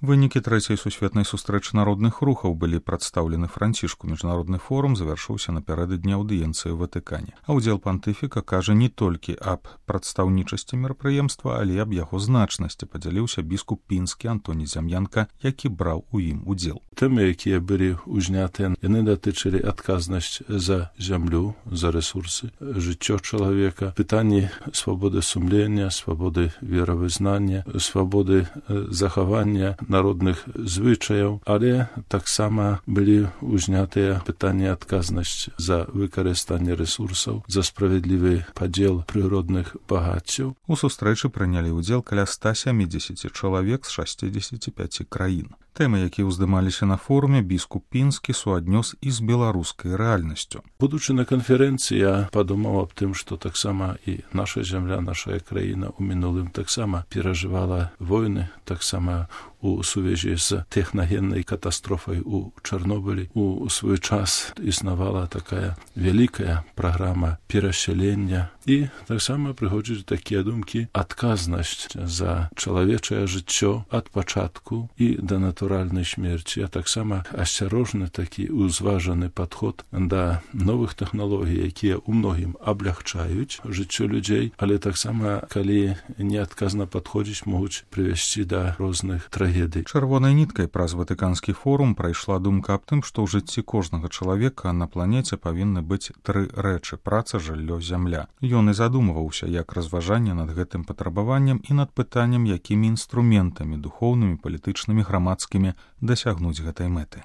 Вынікі трэцяй сусветнай сустрэчы народных рухаў былі прадстаўлены Францішку. Міжнародны форум завяршыўся напярэдадні аўдыенцыі ў Ватыкане. А ўдзел пантыфіка кажа не толькі аб прадстаўнічасці мерапрыемства, але аб яго значнасці, падзяліўся біскуп пінскі Антоній Зям'янка, які браў у ім удзел. Тэмы, якія былі ўзнятыя, яны датычылі адказнасць за зямлю, за рэсурсы, жыццё чалавека, пытанні свабоды сумлення, свабоды веравызнання, свабоды захавання народных звычаяў, але таксама былі ўзнятыя пытанні адказнасць за выкарыстанне рэсурсаў, за справядлівы падзел прыродных багаццяў. У сустрэчы прынялі ўдзел каля 170 чалавек з 65 краін. Тэмы, якія ўздымаліся на форуме, біскуп пінскі суаднёс і з беларускай рэальнасцю. Будучы на канферэнцыі, я падумаў аб тым, што таксама і наша зямля, наша краіна ў мінулым таксама перажывала войны, таксама у сувязі з тэхнагеннай катастрофай у Чарнобылі. У свой час існавала такая вялікая праграма перасялення, і таксама прыходзяць такія думкі: адказнасць за чалавечае жыццё ад пачатку і да натуральнай смерці, а таксама асцярожны такі узважаны падход да новых тэхналогій, якія ў многім аблягчаюць жыццё людзей, але таксама, калі неадказна падходзіць, могуць прывесці да розных трагедый. Чырвонай ніткай праз Ватыканскі форум прайшла думка аб тым, што ў жыцці кожнага чалавека на планеце павінны быць 3 рэчы: праца, жыллё, зямля. Ён і задумваўся, як разважанне над гэтым патрабаваннем і над пытаннем, якімі інструментамі духоўнымі, палітычнымі, грамадскімі дасягнуць гэтай мэты.